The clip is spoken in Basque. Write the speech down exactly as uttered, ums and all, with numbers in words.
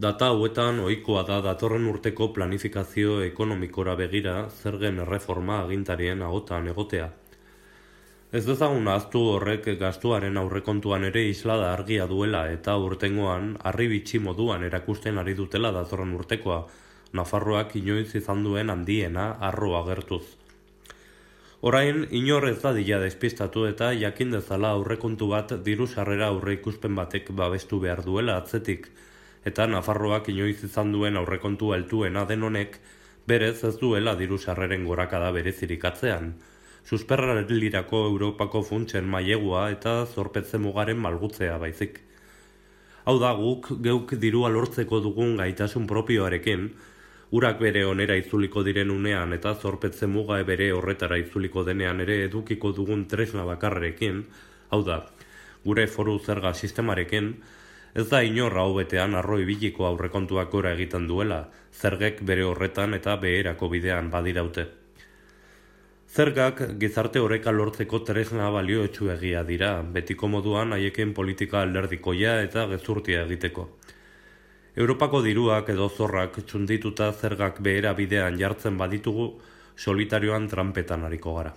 Data hauetan ohikoa da datorren urteko planifikazio ekonomikora begira zergen erreforma agintarien ahotan egotea. Ez dezagun ahaztu horrek gastuaren aurrekontuan ere islada argia duela eta urtengoan harribitxi moduan erakusten ari dutela datorren urtekoa, Nafarroak inoiz izan duen handiena harro agertuz. Orain, inor ez dadila despistatu eta jakin dezala aurrekontu bat diru sarrera aurreikuspen batek babestu behar duela atzetik, eta Nafarroak inoiz izan duen aurrekontu altuena den honek, berez ez duela diru sarreren gorakada berezirik atzean, susperraldirako Europako funtsen mailegua eta zorpetze mugaren malgutzea baizik. Hau da guk geuk dirua lortzeko dugun gaitasun propioarekin, urak bere onera itzuliko diren unean eta zorpetze muga bere horretara itzuliko denean ere edukiko dugun tresna bakarrekin, hau da, gure foru zerga sistemarekin, ez da inor hau betean arro ibiliko aurrekontuak gora egiten duela, zergek bere horretan eta beherako bidean badiraute. Zergak gizarte oreka lortzeko tresna balioetsuegia dira, betiko moduan haiekin politika alderdikoia eta gezurtia egiteko. Europako diruak edo zorrak txundituta zergak behera bidean jartzen baditugu, solitarioan trampetan ariko gara.